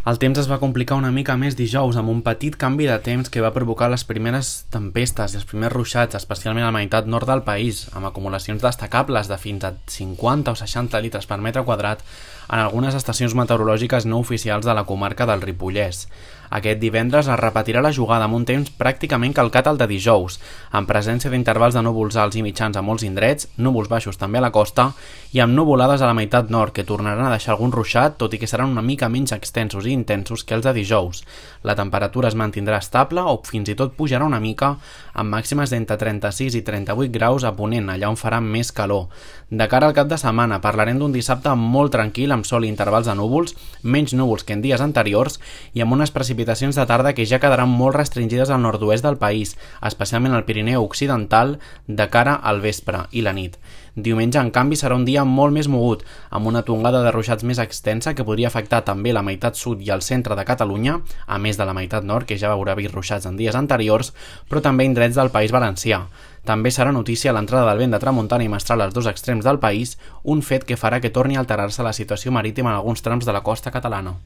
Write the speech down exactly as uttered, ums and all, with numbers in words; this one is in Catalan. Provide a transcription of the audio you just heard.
El temps es va complicar una mica més dijous amb un petit canvi de temps que va provocar les primeres tempestes i els primers ruixats, especialment a la meitat nord del país, amb acumulacions destacables de fins a cinquanta o seixanta litres per metre quadrat en algunes estacions meteorològiques no oficials de la comarca del Ripollès. Aquest divendres es repetirà la jugada amb un temps pràcticament calcat al de dijous, amb presència d'intervals de núvols alts i mitjans a molts indrets, núvols baixos també a la costa i amb nuvolades a la meitat nord que tornaran a deixar algun ruixat, tot i que seran una mica menys extensos i intensos que els de dijous. La temperatura es mantindrà estable o fins i tot pujarà una mica, amb màximes d'entre trenta-sis i trenta-vuit graus a Ponent, allà on farà més calor. De cara al cap de setmana parlarem d'un dissabte molt tranquil amb sol i intervals de núvols, menys núvols que en dies anteriors i amb unes precipitacions de tarda que ja quedaran molt restringides al nord-oest del país, especialment al Pirineu Occidental, de cara al vespre i la nit. Diumenge, en canvi, serà un dia molt més mogut, amb una tongada de ruixats més extensa que podria afectar també la meitat sud i el centre de Catalunya, a més de la meitat nord, que ja haurà vist ruixats en dies anteriors, però també indrets del País Valencià. També serà notícia l'entrada del vent de tramuntana i mestral als dos extrems del país, un fet que farà que torni a alterar-se la situació marítima en alguns trams de la costa catalana.